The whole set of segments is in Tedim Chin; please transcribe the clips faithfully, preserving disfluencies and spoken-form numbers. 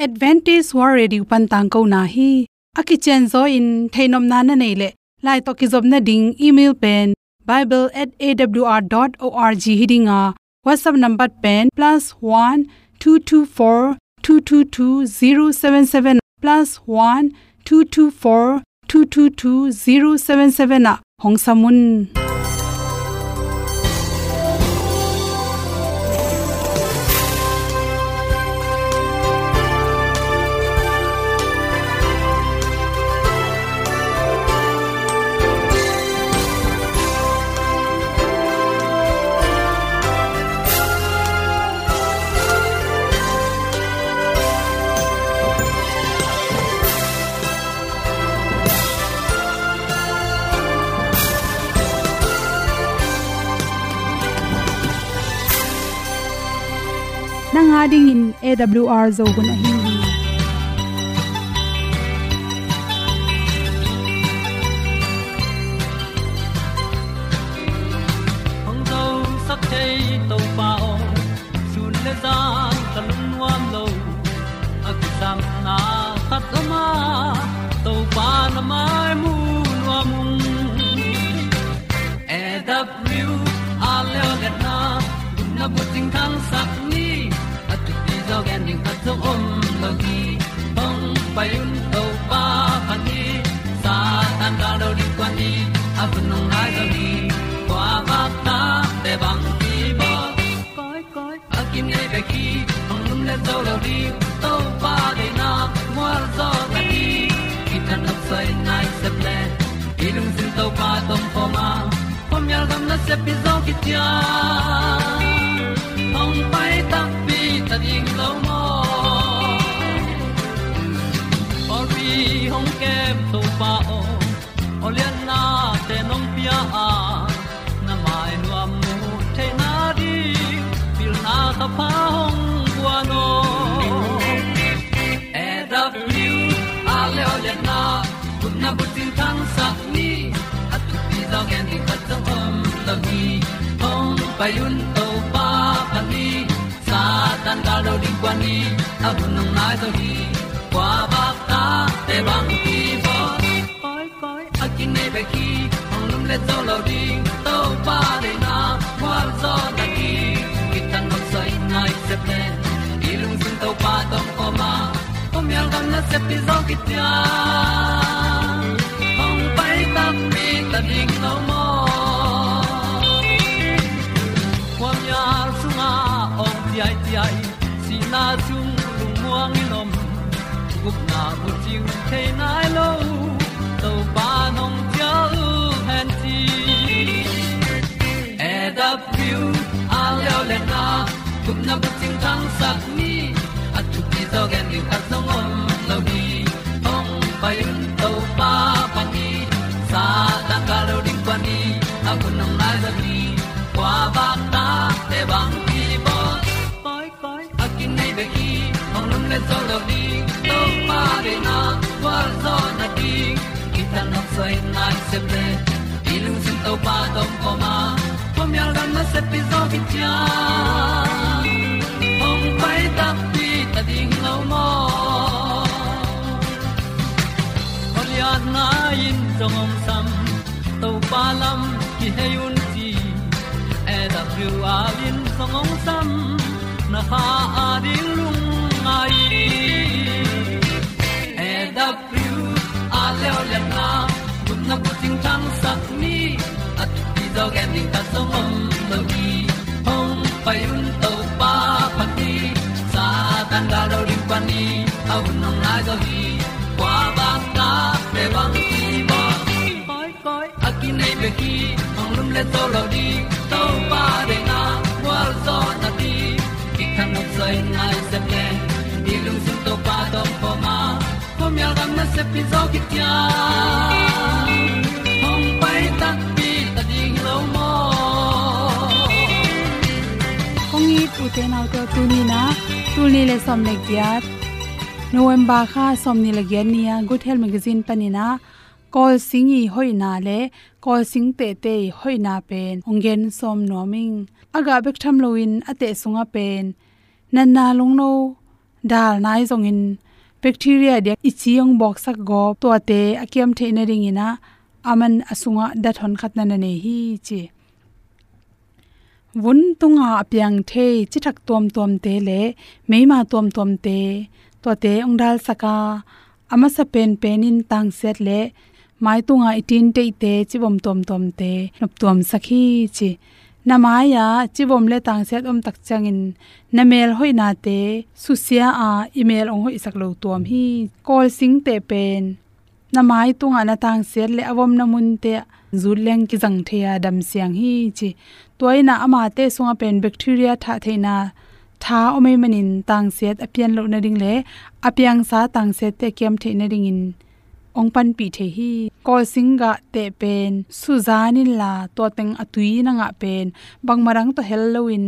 Adventist World Radio pan tangkona hi. A kicianzaw in theihnopna na neih leh, lai tawh kizopna ding email pen bible at A W R dot org hi ding a, WhatsApp number pen plus one two two four two two two zero seven seven, plus one two two four two two two zero seven seven ah hong sam un. Nang a dingin A W R Zo hun ahi hi. Hong zosak thei Topa aw, sun le zan ka lungnuam lo. A kisapna khat om a, Topa na mai mu nuam ung. A W R leo letna, gupna bucing thangsak ni. A thupi zaw gen ding khat zong om lo hi. Hong pai un Topa phat ni. Satan gal do ding kuan ni. A hun hong nai zo hi. Kua bak ta te bang ki bawl. Koi koi a kinei bek hi. Hong lum le zo lo ding. Topa deihna mual zaw ta hi. Kithat nop soi nai sep le. I lungsim Topa tawh om khawm a, khuamial gam nasep pi zaw kician. Hong pai takpi ta ding lo maw? Pawlpi hong kem Topa aw, aw liannate nong pia a, na mai nuam mu theihna ding, pilna thapha hong guan aw. A W R leo letna, gupna bucing thangsak ni. A thupi zaw gen ding khat zong om lo hi. Hong pai un Topa phat ni. Satan gal do ding kuan ni. A hun hong nai zo hi. Kua bak ta te bang ki bawl. Koi koi a kinei bek hi. Hong lum le zo lo ding. Topa deihna mual zaw ta hi. Kithat nop soi nai sep le. I lungsim Topa tawh om khawm a, khuamial gam nasep pi zaw kician. Hong pai takpi ta ding lo maw? Khuamial sungah awng ciaiciai, sihna sung lungmuang in om. Gupna bucing thei nai lo, Topa nong cial hen ci. A W R leo letna, gupna bucing thangsak ni. A thupi zaw gen ding khat zong om lo hi. Hong pai un Topa phat ni. Satan gal do ding kuan ni. A hun hong nai zo hi. Kua bak ta te bang ki bawl. Koi koi a kinei bek hi. Hong lum le zo lo ding. Topa deihna mual zaw na ding. Kithat nop soi nai sep le. I lungsim Topa tawh om khawm a, khuamial gam nasep pi zaw kician. Hong pai takpi ta ding lo maw? Aw liatna in zong hong sam, Topa lam kihei un ci. A W R in zong hong sam, na kha a ding lungngai. A W R leo letna, gupna bucing thangsak ni. A thupi zaw gen ding khat zong om lo hi. Hong pai un Topa phat ni. Satan gal do ding kuan ni. A hun hong nai zo hi. Kua bak ta te bang ki bawl. Koi koi a kinei bek hi. Hong lum le zo lo ding. Topa deihna mual zaw na ding. Kithat nop soi nai sep le. I lungsim Topa tawh om khawm a, khuamial gam nasep pi zaw kician. Hong pai takpi ta ding lo maw? Kong it ute naute aw, tuni in ah, tul nih le sawm le giat, November kha sawmnih le giat ni-a Good Health Magazine panin ah, Kawl sing i hoihna le Kawl sing tehte i hoihna pen hong gen sawm nuam ing. A gah bek tham loin a teh sungah pen natna lungno, dal nai zongin bacteria diak i ci hong bawksak gawp tuate a kiam theih nadingin ah aman a sungah dat honkhat na na nei hi ci. Vun tunga a piang thei cithak tuamtuamte le meima tuamtuamte tuate hong dalsak a, a masa penpen in tangsiat le mai tunga i tinteihte civom tuamtuamte noptuamsak hi ci. Na mai-ah civom le tangsiat om tak ciangin na mel hoihnate susia a, i mel hong hoihsak lo tuam hi. Kawlsingte pen na mai tungah na tangsiat le a vomna munte ah zut leng kizang thei a, damsiang hi ci. Tua in ah amate sungah pen bacteria thah theihna tha om ahih manin tangsiat a pian loh nading le a piangsa tangsiatte a kiam theih nadingin hong panpih thei hi. Kawlsing gahte pen suzan inla tua teng a tui na ngah pen bangmah dang tawh hel loin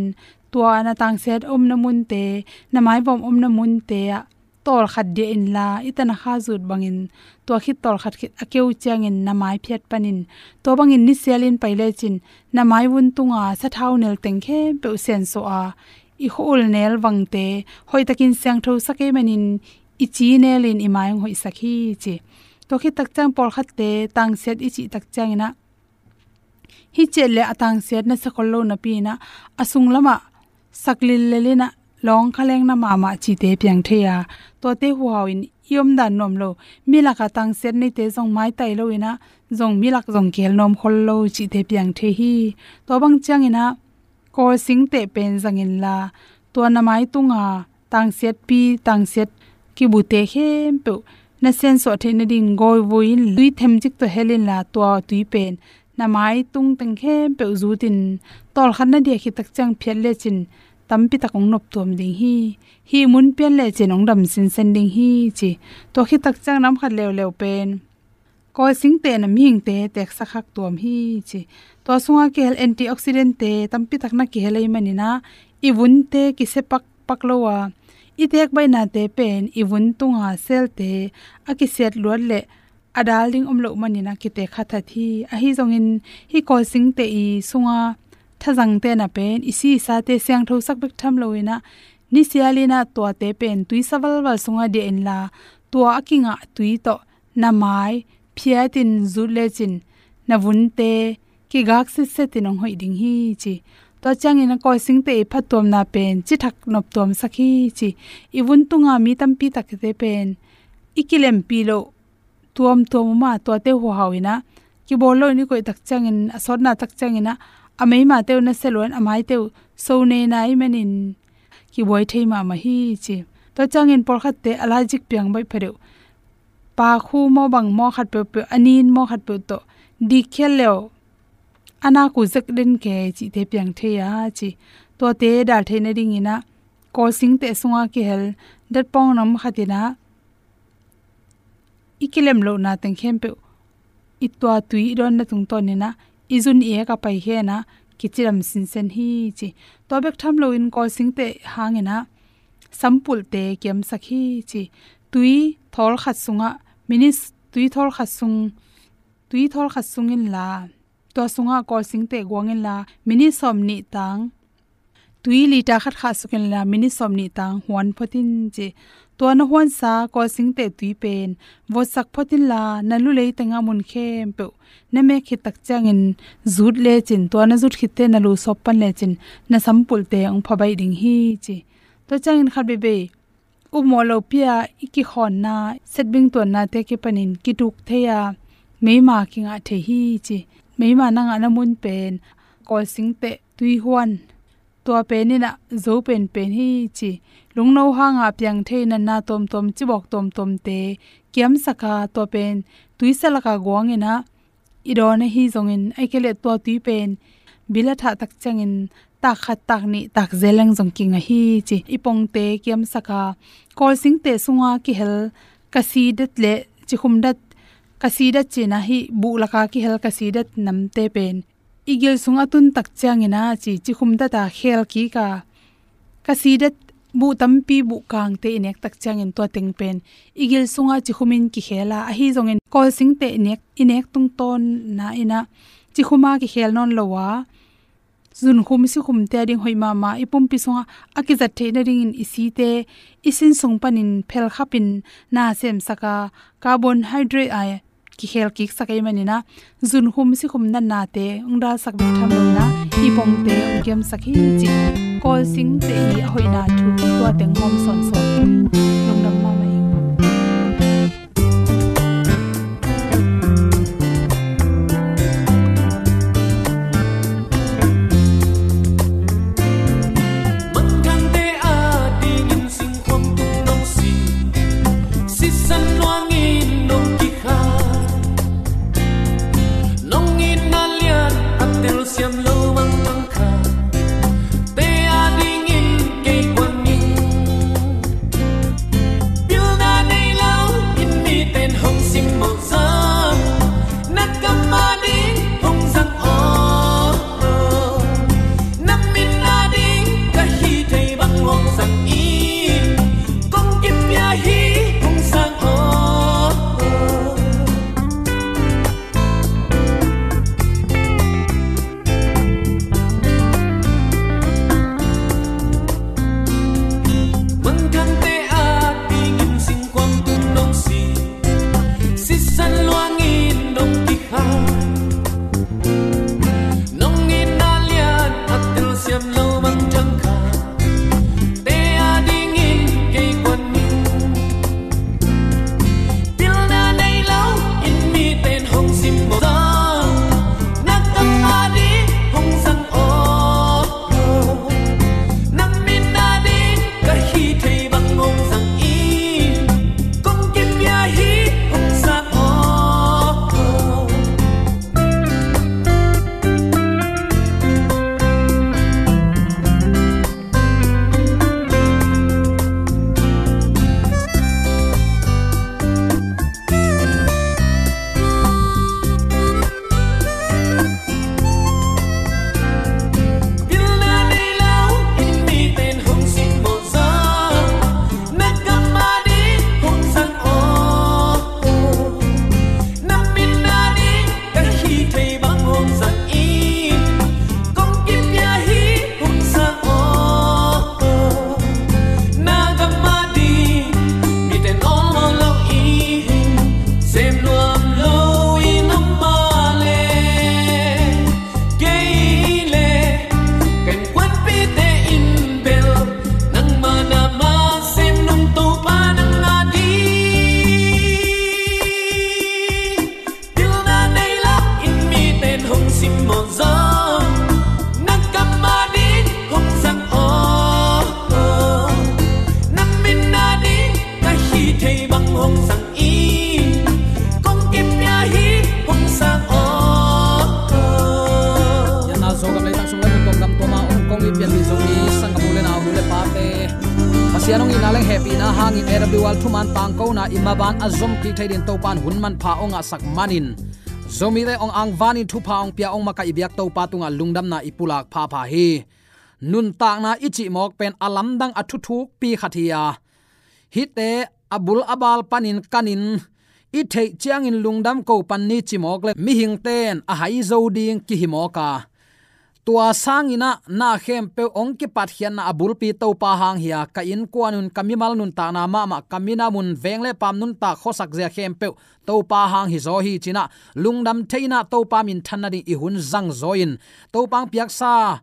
tua na tangsiat omna munte, na maivom omna munte ah tawlkhat diah inla i tanakha zut bangin tua khit tawlkhat khit a keu ciangin na mai phiat panin tua bangin nisialin pai lecin na mai vun tunga sathau nel teng khempeuh siansuah a, i khua-ul nel vangte hoihtakin siangthosak ahih manin i ci nelin i mai hong hoihsak hi ci. Tua khit tak ciang pawlkhatte tangsiat i cih tak ciangin ah hih ciat le a tangsiat na sia khol lo napi in ah a sunglamah sak lillel in ah lawng kha leng na mahmah cihte piang thei a, tuate huhau in i omdan nuam lo. Milak a tangsiat neite zong maitai lo in ah zong milak zong kihel nuam khol lo cihte piang thei hi. Tua bang ciangin ah Kawlsingte pen zang inla tua na mai tunga tangsiatpi, tangsiat kibute khempeuh na siansuah theih nading gawivui in tui themcik tawh hel inla tua tui pen na mai tung teng khempeuh zutin tawlkhat na diah khit tak ciang phiat lecin tampi tak hong noptuam ding hi. Hih mun pian lecin hong dam sinsen ding hi ci. Tua khit tak ciang nam khat leuleu pen Kawlsingte in ah mihingte teeksak khak tuam hi ci. Tua sungah kihel antioxidant-te tampi tak na kihel ahih manin ah i vunte kisia pakpak lo a, i teek baihnate pen i vun tunga cell-te a kisiat luat le a dal ding om loh manin ah kiteek khathat hi. Ahi zongin hih Kawlsingte i sunga thazangte in ah pen i si i sate siangthosak bek tham lo in ah nisialin ah tuate pen tuisa valval sungah diah inla tua a kingah tui tawh na mai phiatin zut lecin na vunte kigak sitsetin hong hoih ding hi ci. Tua ciangin ah Kawlsingte i phattuamna pen cithak noptuamsak hi ci. I vun tunga mi tampi takte pen i kilempih loh tuamtuam om a, tuate huhau in ah kibawl loin i koih tak ciangin, a sawtna tak ciangin ah a meimate uh na sia luan, a maite uh so nei na ahih manin kibuai thei mahmah hi ci. Tua ciangin pawlkhatte allergic piang baih phadeuh, pakhu maw bang maw khat peuhpeuh, a nin maw khat peuh tawh dikkhial leuh a nak uh zek den kei cihte piang thei a ci. Tuate dal theih nadingin ah Kawlsingte sungah kihel datpawng nam khat in ah i kilem lohna teng khempeuh i tua tui i dawnna tungtawnin ah i zun i ek a paikhia in ah kicidam sinsen hi ci. Tua bek tham loin Kawlsingte hangin ah sampulhte kiamsak hi ci. Tui thawl khat sungah minit, tui thawl khat sung, tui thawl khat sung inla tua sungah Kawlsingte guang inla minit sawmnih tang tui liter khat khahsuk inla minit sawmnih tang huan phot in ci. Tua na huansa Kawlsingte tui pen votsak phot inla na lu leitengah mun khempeuh na mek khit tak ciangin zut lecin, tua na zut khitte na lu sawp pan lecin na sampulhte hong pha baih ding hi ci. Tua ciangin khat veivei upmawh lopi-a i kikhawnna, setbing tuannate kipanin kituk thei a, meima kingah thei hi ci. Meima na ngahna mun pen Kawlsingte tui huan, tua pen in ah zo penpen hi ci. Lungno hanga piang thei natna tuamtuam, cibawk tuamtuamte kiamsak a, tua pen tuisa laka guang in ah i dawn ahi zongin, ahih kei leh tua tui pen bil a thah tak ciangin tak khat, tak nih, tak zel leng zong kingah hi ci. I pongte kiamsak a, Kawlsingte sunga kihel kasidat le cikhumdat, kasidat ci-in ah hih buh laka kihel kasidat namte pen i gil sung a tun tak ciangin ah ci, cikhumdat a khel kik a, kasidat buh tampi, buh kangte i nek tak ciangin tua teng pen i gil sunga cikhumin kikhel a, ahi zongin Kawlsingte i nek, i nek tungtawn na in ah cikhuma kikhel nawn lo a, zunkhum sikhumte a ding hoih mahmah, i pumpi sungah a kizat theih nadingin i site i sin sung panin phelkhapin na semsak a, carbohydrate a kikhel kiksak ahih manin ah, zunkhum sikhum natnate hong dalsak bek tham lo in ah, i pongte hong kiamsak hi ci. Kawlsingte i a hoihna thu tua teng hawm sawnsawn in, lungdam mahmah ing. Manthangte a dingin singkhuam tung nong si, sisan luangin nong kikhai, nong itna lian a telsiam lo bang thangkhat te a dingin kei kuan ning. Pilna nei lo in miten hong simmawh zong, na kam a ding hong zang aw. Na min a ding ka hih thei bang hong zang in, kong kipia hi hong sang aw. Manthangte a dingin singkhuam tung nong si, sisan luangin nong kikhai, nong itna lian a telsiam lo bang thangkhat te a dingin kei kuan ning. Pilna nei lo in miten hong simmawh zong, na kam a ding hong zang aw. Na min a ding ka hih thei bang hong zang in, kong kipia hi hong sang aw. Pilna nei lo in miten hong simmawh zong, na kam a ding hong zang aw. Na min a ding ka hih thei bang hong zang in, kong kipia hi hong sang aw. Yan a Zogam leitang sung le mun tuam gam tuam a om kong i pianmi Zomi sanggam u le nau, nu le pate, Pasian hong itna leng hehpihna hangin A W R thuman tangkona i maban a zom kik thei dingin Topa'n hun manpha hong ngahsak manin, Zomite hong angvanin thupha hong pia hong makaih i biak Topa tungah lungdamna i pulak phapha hi. Nuntakna i cih mawk pen a lamdang a thuthukpi khat hi a, hihte a bul a bal panin kanin i theih ciangin lungdam ko pan ni ci mawk le mihingte'n a hai zo ding kihi mawk a, tua sangin ah na khempeuh hong kipatkhiatna a bulpi Topa hang hi a, ka innkuan un, ka mimal nuntakna mahmah, ka minam un, veng le paam nuntak khuasak zia khempeuh Topa hang hi zaw hi ci-in ah, lungdam thei-in ah Topa minthan nading i hun zang zaw in, Topa hong piaksa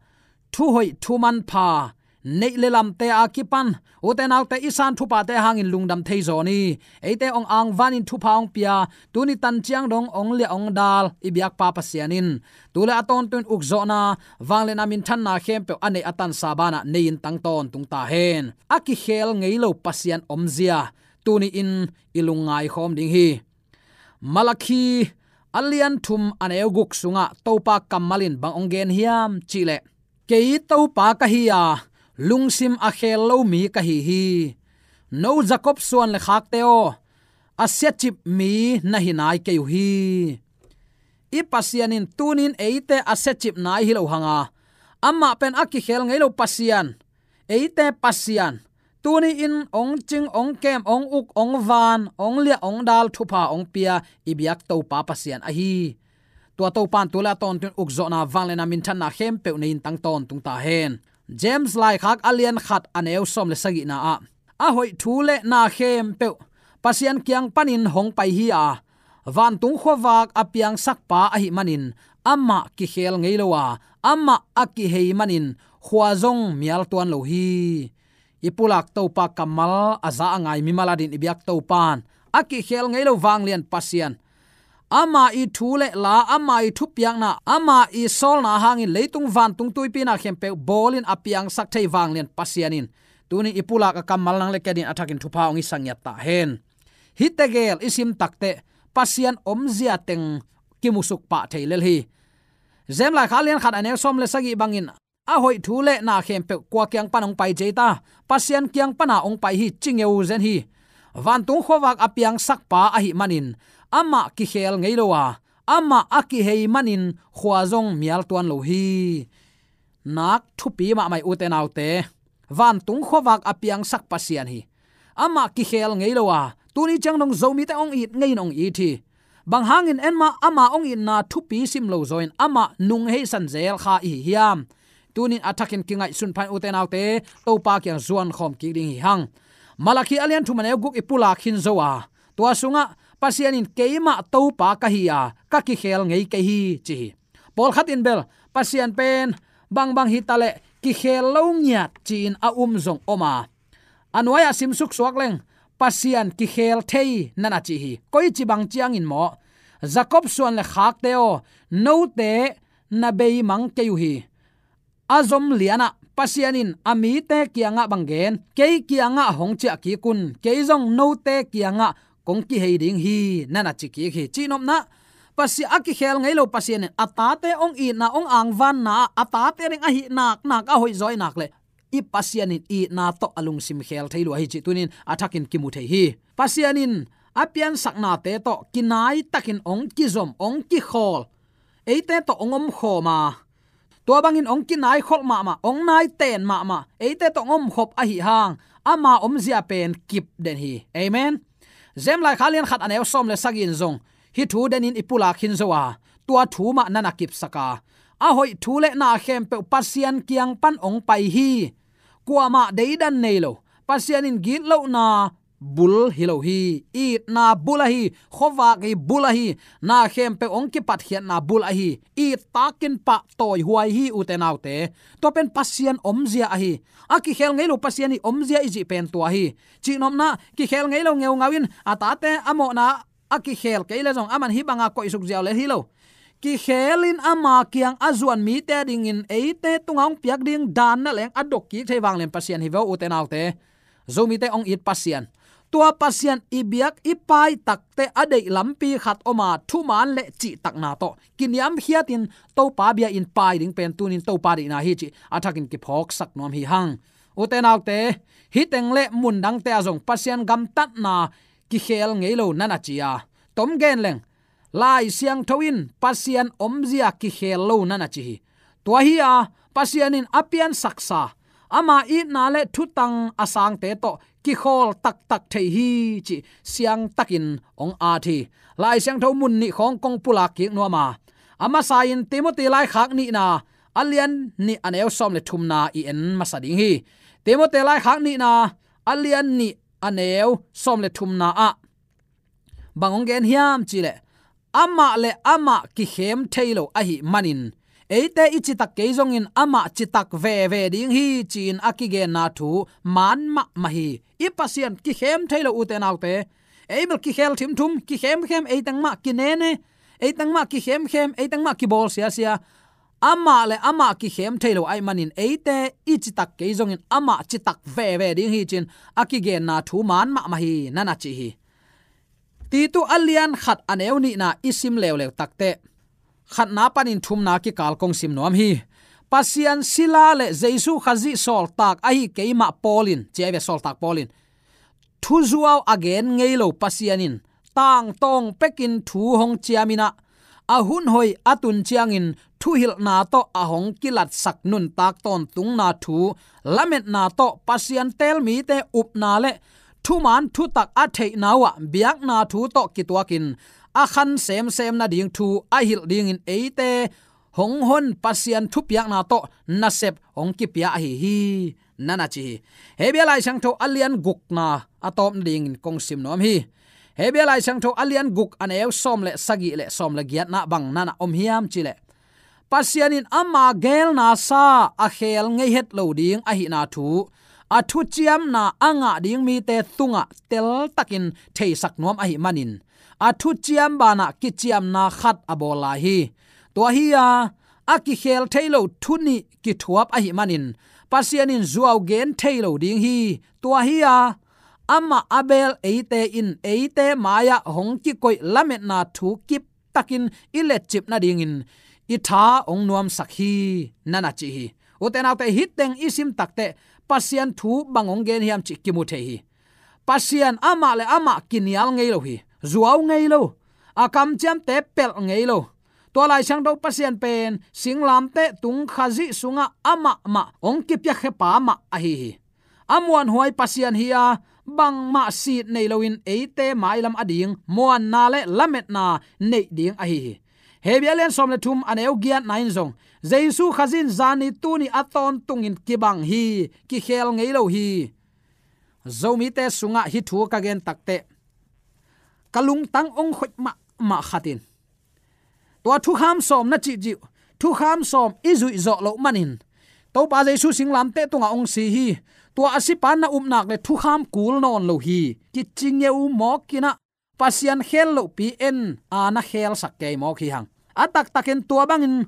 thuhoih thumanpha neih le lamte a kipan ute naute i san thuphate hangin lungdam thei zaw ni. Eite hong angvanin thupha hong pia, tuni tan ciang dong hong liah hong dal i biakpa Pasian in tu le a tawntung ukzawhna, vangliatna, minthanna khempeuh a neih a tansa banah nei-in tang tawntung ta hen. A kikhel ngei lo Pasian omzia tuni-in i lungngai khawm ding hi. Malakhi a lian thum a neu guk sungah Topa kammal in bang hong gen hiam cih leh, kei Topa ka hi a, lungsim a khel lo mi ka hi hi. No Jakob suan le khakte aw, a siacip mi na hi nai kei uh hi. I Pasian in tuni-in eite a siacip nai hi lo hang a, amah pen a kikhel ngei lo Pasian, eite Pasian, tuni-in hong cing, hong kem, hong uk, hong van, hong liah, hong dal, thupha hong pia i biak Topa Pasian ahi. Tua Topan tu le a tawntung ukzawhna, vangliatna, minthanna khempeuh nei in tang tawntung ta hen. James laikhak a lian khat a neu sawm le sagihna ah, a hoih thu le na khempeuh Pasian kiang panin hong pai hi a, vantung khuavak a piangsakpa ahih manin amah kikhel ngei lo a, amah a kihei manin khua zong mial tuan lo hi. I pulak Topa kammal a za a ngai mimal adin i biak Topan a kikhel ngei lo vanglian Pasian, ama i thu le la, ama i thupiakna, ama i sawlna hangin leitung vantung tuipi na khempeuh bawlin a piangsak thei vanglian Pasian in tunin i pulak a kammal nang le kei adin a thakin thupha hong i sangiat ta hen. Hih tegel i sim takteh Pasian omzia teng kimusuk pah thei lel hi. James laikhak a lian khat a neu sawm le sagih bangin, a hoih thu le na khempeuh kua kiang pan hong pai ci ei ta, Pasian kiang pana hong pai hi, ci ngeu zen hi. Vantung khuavak a piangsakpa ahih manin amah kikhel ngei lo a, amah a kihei manin khua zong mial tuan lo hi. Nak thupi mahmah hi, ute naute. Vantung khuavak a piangsak Pasian hi. Amah kikhel ngei lo a, tuni ciang dong Zomite hong it ngei in hong it hi. Bang hangin en mah ama hong itna thupi sim lo zaw in amah nung heisan zel kha i hi hiam? Tunin a thakin kingaihsun pha in, ute naute, Topa kiang zuan khawm kik ding hi hang. Malakhi a lian thum a neu guk i pulak khin zo a, tua sungah Pasian in, "Keimah Topa ka hi a, ka kikhel ngei kei hi," ci hi. Pawlkhat in bel Pasian pen bangbang hi ta leh kikhel lo ngiat ci-in a um zong om a, a nuai-ah simsuk suak leng Pasian kikhel thei na na ci hi. Koici bang ciangin maw? "Jakob suan le khakte aw, note na beimang kei uh hi. A zom lianah Pasian in a mite kiangah bang gen, kei kiangah hong ciah kik un, kei zong note kiangah kong kihei ding hi," na na ci kik hi. Cihnopna, Pasian a kikhel ngei lo Pasian in a tate hong itna, hong angvanna ah a tate ding ahih naknak a hoih zaw ahih nak leh i Pasian in itna tawh a lungsim khel thei lua hi cih tunin a thakin kimu thei hi. Pasian in a piansaknate tawh kinai takin hong kizom, hong kikhawl, eite tawh hong omkhawm a, tua bangin hong kinaikholh mahmah, hong naiten mahmah, eite tawh hong omkhop ahih hang ama omzia pen kip den hi. Amen. James laikhak a lian khat a neu sawm le sagih in zong hih thu denin i pulak khin zo a, tua thu mah na na kipsak a, a hoih thu le na khempeuh Pasian kiang pan hong pai hi. Kuamah deidan nei lo, Pasian in gitlohna bul hi lo hi. Itna bul ahi, khuavak hi bul ahi, na khempeuh hong kipatkhiatna bul ahi. It takin pahtawi huai hi, ute naute. Tua pen Pasian omzia ahi. A kikhel ngei lo Pasian i omzia i cih pen tua hi. Cihnopna, kikhel ngei lo ngeungau in a tate a mawhna a kikhel kei leh zong aman hih banga koihsuk ziau lel hi lo. Kikhelin ama kiang a zuan mite adingin eite tungah hong piak ding dan na leng a dok kik thei vanglian Pasian hi ve aw, ute naute. Zomite hong it Pasian, tua Pasian i biak i pai takteh a deih lampi khat om a, thuman le cihtakna tawh kiniamkhiatin Topa bia-in pai ding pen tunin Topa deihna hi cih a thakin kiphawksak nuam hi hang. Ute naute, hih teng le mundangte ah zong Pasian gamtatna kikhel ngei lo na na ci a, tom gen leng Lai Siangtho in Pasian omzia kikhel lo na na ci hi. Tua hi a, Pasian in a piansaksa, ama itna le thutang a sangte tawh kikhawl taktak thei hi cih siangtakin hong at hi. Lai Siangtho mun nih khawng kong pulak kik nuam a, a masa-in Timoti laikhak nihna a lian nih a neu sawm le thumna i en masa ding hi. Timoti laikhak nihna a lian nih a neu sawm le thumna ah bang hong gen hiam cih leh, amah le amah kikhem thei lo ahih manin eite i citak kei zongin amah citak veve ding hi, ci-in a kigenna thu man mahmah hi. I Pasian kikhem thei lo, ute naute. Ei bel kikhel thimthum, kikhemkhem, eiteng mah kinene, eiteng mah kikhemkhem, eiteng mah kibawl siasia. Amah le amah kikhem thei lo ahih manin eite i citak kei zongin amah citak veve ding hi, ci-in a kigenna thu man mahmah hi, na na ci hi. Titu a lian khat a neu nihna i sim leuleu takteh, khatna panin thumna kikal kong sim nuam hi. Pasian sila le Jesu Khazih sawltak ahi keimah Paul in, ci ahi ve, sawltak Paul in thuzuau a gen ngei lo Pasian in tangtawng pekin thu hong ciamin ah, a hun hoih a tun ciangin thuhilhna tawh a hong kilatsak nuntak tawntungna thu lametna tawh Pasian teel mite upna le thuman thutak a theihna uhah biakna thu tawh kituakin a khan semsem nading thu a hilh dingin eite hong hon Pasian thupiakna tawh nasep hong kipia ahi hi, na na ci hi. Hebru Lai Siangtho a lian gukna a tawp nadingin kong sim nuam hi. Hebru Lai Siangtho a lian guk a neu sawm le sagih le sawm le giatna bang na na om hiam cih leh, Pasian in ama geelna sa a kheel ngei het lo ding ahihna thu, a thuciamna a ngah ding mite tungah teltakin theisak nuam ahih manin, a thuciam banah kiciamna khat a bawl lai hi. Tua hi-a, a kikheel thei lo thu nih kithuap ahih manin, Pasian in zuau gen thei lo ding hi. Tua hi-a, amah a beel eite in eite mai-ah hong kikoih lametna thu kip takin i letcip nadingin i tha hong nuamsak hi, na na ci hi. Ute naute, hih teng i sim takteh Pasian thu bang hong gen hiam cih kimu thei hi. Pasian amah le amah kinial ngei lo hi. Zuau ngei lo. A kamciamte pelh ngei lo. Tua Lai Siangtho Pasian pen singlamteh tung Khazih sungah amah mah hong kipiakhia pa mah ahi hi. A muanhuai Pasian hi-a, bangmah sit nei loin eite mailam ading muanna le lametna neih ding ahi hi. Hebru a lian sawm le thum a neu giatna in zong, Jesu Khazih in zani tuni a tawntungin kibang hi, kikheel ngei lo hi. Zomite sungah hih thu ka gen takteh ka lungtang hong khoih mahmah khat in, tua thukham sawm na cihcih, thukham sawm i zuih zawh loh manin Topa Jesu singlamteh tungah hong si hi. Tua a sipa na upna le thukham kul nawn lo hi, kici ngeu mawk in ah, Pasian kheel lohpi en a na kheelsak kei mawk hi hang. A taktakin tua bangin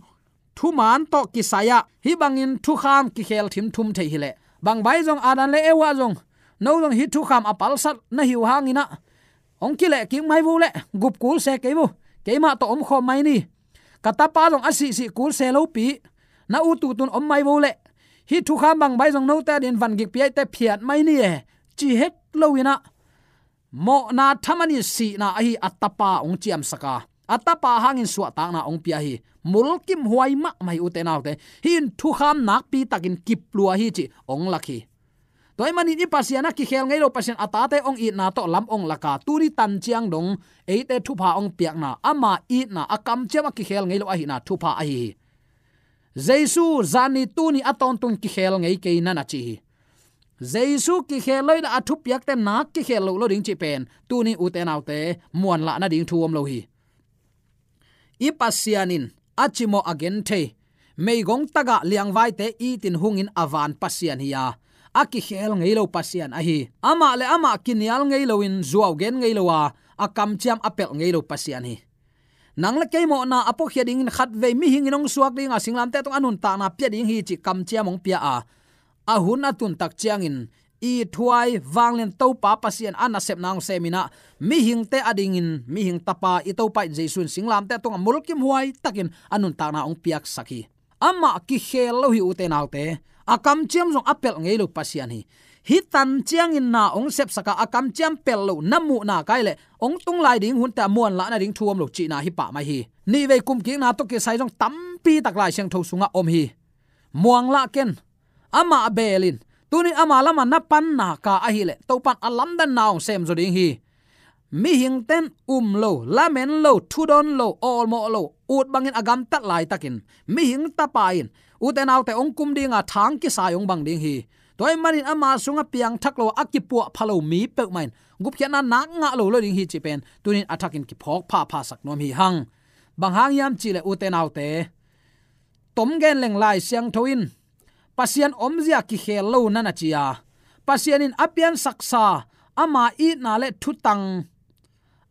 thuman tawh kisai-ah hih bangin thukham kikheel thimthum thei hileh, bang bai zong Adam le Eva zong, no zong hih thukham a palsat na hi uh hangin ah, hong kileh kik mai vo leh, gup kul se kei vo, keimah tawh omkhawm mai ni. Ka tapa zong a sihsih kul se lopi, na ut ut un om mai vo leh, hih thukham bang bai zong note adingin van gikpi ahih teh phiat mai ni e, ci het loin ah, mawhna thaman in sihna ahi a tapa hong ciamsak a, a tapa hangin suahtakna hong pia hi. Mulkimhuai mahmah hi, ute naute. Hih in thukham nakpi takin kip lua hi cih hong lak hi. Tua ahih manin i Pasian a kikheel ngei lo Pasian a tate hong itna tawh lam hong lak a, tuni tan ciang dong eite thupha hong piakna, ama itna, a kamciam a kikheel ngei lo ahihna thupha ahi hi. Jesu zani tuni a tawntung kikheel ngei kei, na na ci hi. Jesu kikheel lo hi leh a thupiakte nak kikheel loh lo ding cih pen tuni, ute naute, muanlah nading thu om lo hi. I Pasian in a cimawh a genthei, meigong tagah liangvaite itin hungin a van Pasian hi-a, a kikheel ngei lo Pasian ahi. Amah le amah kinial ngei loin zuau gen ngei lo a, a kamciam a pelh ngei lo Pasian hi. Nang le kei mawhna a puakhia dingin khatvei mihing in hong suak ding a, singlamteh tungah a nuntakna pia ding hi cih kamciam hong pia a, a hun a tun tak ciangin ithuai vanglian Topa Pasian a nasepna hong sem in ah, mihingte adingin mihing tapa i Topa in Jesu in singlamteh tungah mulkimhuai takin a nuntakna hong piaksak hi. Amah kikheel lo hi, ute naute. A kamciam zong a pelh ngei lo Pasian hi. Hih tan ciangin na hong sepsak a, a kamciam pelh lo na muhna kai leh hong tung lai ding hunte a muanlah nading thu om lo cihna hi pah mai hi. Nihvei kumkikna tawh kisai zong tampi tak Lai Siangtho sungah om hi. Muang lah ken. Amah beel in, tuni ama lamah na panna ka ahih leh Topa in a lamdanna hong sem zaw ding hi. Mihingte in um lo, lamen lo, thudon lo, awlmawh lo, ut bangin a gamtat laitakin mihing tapa in, ute naute, hong kum ding a, thang kisai hong bang ding hi. Tua ahih manin ama sungah piangthak lo a, a kipuahpha lo mi peuhmah in gupkhiatna nak ngah lo lo ding hi cih pen tuni in a thakin kiphawk phaphasak nuam hi hang. Bang hang hiam cih leh, ute naute, tom gen leng Lai Siangtho in Pasian omzia kikheel lo, na na ci a, Pasian in a piansaksa ama itna le thutang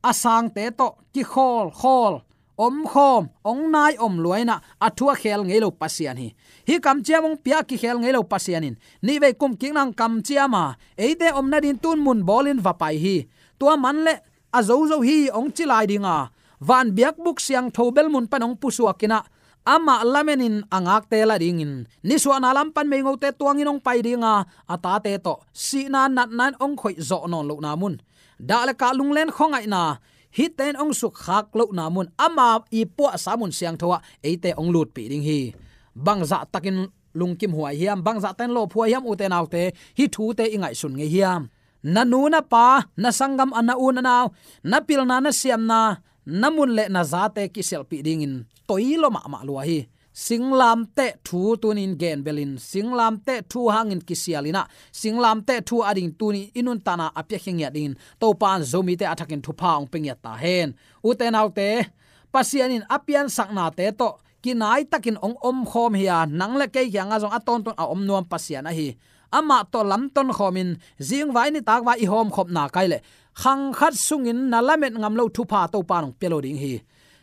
a sangte tawh kikhawlkhawl, omkhawm, hong nai om lua in ah, a thu a kheel ngei lo Pasian hi. Hih kamciam hong pia a kikheel ngei lo Pasian in nihvei kumkikna hong kamciam a, eite om nading tun mun bawlin va pai hi. Tua man leh a zozo hi hong ci lai ding a, van biakbuk siangtho bel mun pan hong pusuak in ah, amah lamenin a ngakte la dingin, nisuahna lam pan meingote tuangin hong pai ding a, a tate tawh sihna natna in hong khoih zawh nawn lohna mun, dah le kah, lunglen khuangaihna, hihte in hong sukkhak lohna mun, ama i puahsa mun siangtho ah eite hong lutpih ding hi. Bangzah takin lungkimhuai hiam, bangzah takin lawphuai hiam, ute naute, hih thute i ngaihsun ngei hiam? Na nu na pa, na sanggam a, na u na nau, na pilna, na siamna, na mun le na zate kisialhpih dingin toi lo mahmah lua hi. Singlamteh thu tunin genbelin, singlamteh thu hangin kisial inah, singlamteh thu ading tunin i nuntakna a piakhia ngiat dingin Topa in Zomite a thakin thupha hong pia ngiat ta hen. Ute naute, Pasian in a piansaknate tawh kinaitakin hong omkhawm hi a, nang le kei kiangah zong a tawntung a om nuam Pasian ahi. Amah tawh lamton khawmin zingvai nitakvai i hawmkhopna kai leh khang khat sungin na lamet ngam lo thupha Topa in hong pia lo ding hi.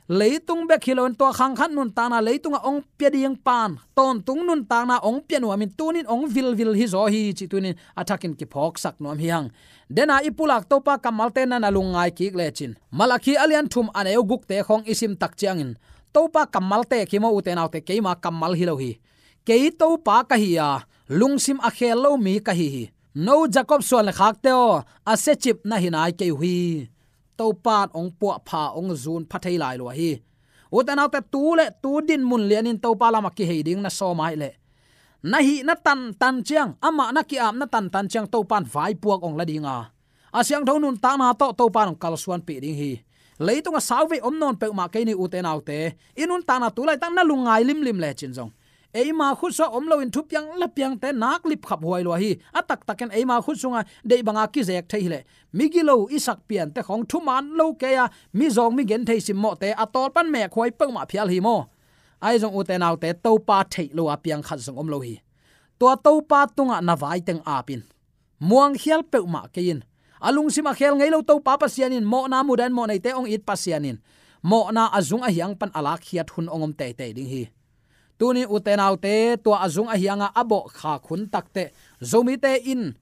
Leitung bek hi loin tua khang khat nuntakna leitungah hong pia ding pan tawntung nuntakna hong pia nuamin tunin hong vilvil hi zaw hi cih tunin a thakin kiphawksak nuam hi hang. Dena i pulak Topa kammalte na na lungngai kik lecin, Malakhi a lian thum a neu gukte khawng i sim tak ciangin, Topa kammalte khi maw ute naute, keima kammal hi lo hi. Kei Topa ka hi a, lungsim a khel lo mi ka hi hi. No Jacob suan le khakte aw, a siacip na hi nai kei uh hi. Topa in hong puahpha, hong zun pha thei lai lua hi. Ute naute, tu le tu dinmun lianin Topa lamah kihei ding na sawm ahih leh, na hih na tantan ciang, amah na ki-ap na tantan ciang Topa in vaipuak hong la ding a, a siangtho nuntakna tawh Topa in hong kalsuanpih ding hi. Leitungah sauvei om nawn peuhmah kei ni ute naute, i nuntakna tu laitak na lungngai limlim lecin zong, eima khutsuah om loin thupiang lapiangte nak lipkhap huai lua hi. A taktakin eima khut sunga deih banga kizek thei hileh, migilo i sak piante khawng thuman lo kei a, mizawng migen thei simmawhte a tawlpan mekhuai peuhmah phial hi maw? Ahi zong ute naute, Topa theih lo a piang khat zong om lo hi. Tua Topa tungah na vaiteng apin, muangkhial peuhmah kei in. A lungsim a khel ngei lo Topa Pasian in, mawhna mudan mawhneite hong it Pasian in, mawhna a zung a hiang pan a lakkhiat hun hong om teitei ding hi. Tuni ute naute, tua a zung a hianga a bawhkhak hun takteh Zomite in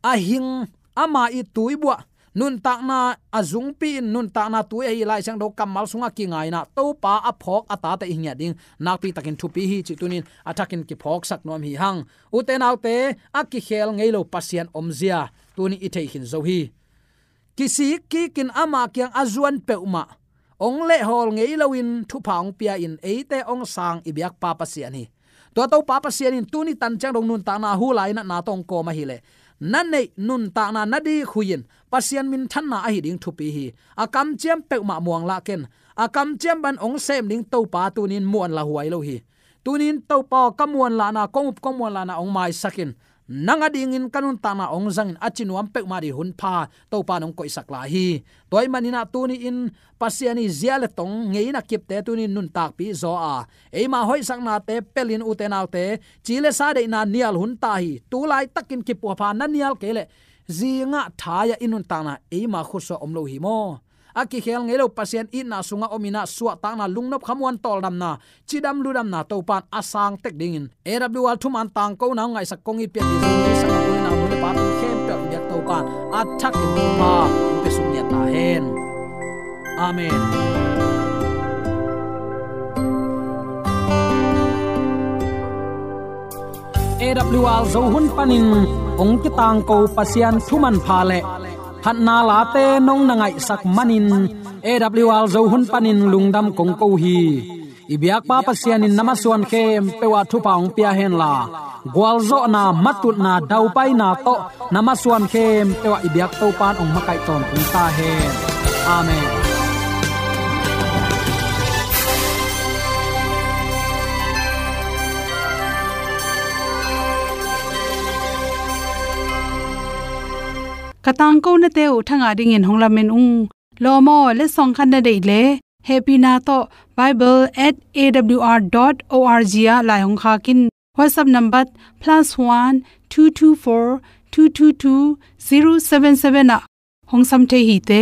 a hing, ama i tuibuah, nuntakna a zungpi in, nuntakna tui ahi Lai Siangtho kammal sungah kingaina Topa a phawk a tate i ngiat ding nakpi takin thupi hi cih tunin a thakin kiphawksak nuam hi hang. Ute naute, a kikhel ngei lo Pasian omzia tuni i theikhin zo hi. Kisik kikin ama kiang a zuan peuhmah hong lehhawl ngei loin thupha hong pia-in eite hong sang i biakpa Pasian hi. Tua Topa Pasian in tuni tan ciang dong nuntakna hu lainatna tawh hong kawm ahileh, na neih nuntakna na dik hui-in Pasian minthanna ahi ding thupi hi. A kamciam peuhmah muanglah ken. A kamciam bang hong sem ding Topa tunin muanlah huai lo hi. Tunin Topa aw, ka muanlahna, kong up kong muanlahna hong maisak in, nang adingin ka nuntakna hong zangin, a ci nuam peuhmah ding hun pha Topa in hong koihsak lai hi. Tua ahih maninah tuni-in Pasian i zia le tong ngeina kipte tunin nuntakpih zaw a, eima hoihsaknate pelin ute naute, ci le sa deihna nial hun ta hi. Tu laitakin kipuapha na nial kei leh, zingah thai-ah i nuntakna eima khutsuah om lo hi maw? A kikhel ngei lo Pasian itna sungah om inah suahtakna, lungnop khamuan tawldamna, cidam ludamna Topa in a sang tek dingin A W R thuman tangkona hong ngaihsak kong it pian ding Jesuh Khrih a hun le pa tung khempeuh i biak Topa in a thakin thupha hong pia suk ngiat ta hen. Amen. A W R Zo hun panin hong kitangko Pasian thuman pha le phatna late nong na ngaihsak manin A W R Zo hun panin lungdam kong ko hi. I biakpa Pasian in na masuan khempeuh ah thupha hong pia henla, gualzawhna, matutna, daupaina tawh na masuan khempeuh ah i biak Topa in hong makaih tawntung ta hen. Amen. Ka tangkonate uh thangah dingin hong lamen ung. Lawm aw, letsong khat na deih leh, hehpihna tawh bible at A W R dot O R G ah lai hong khak in. WhatsApp number plus one two two four two two two zero seven seven ah hong sam thei hi te.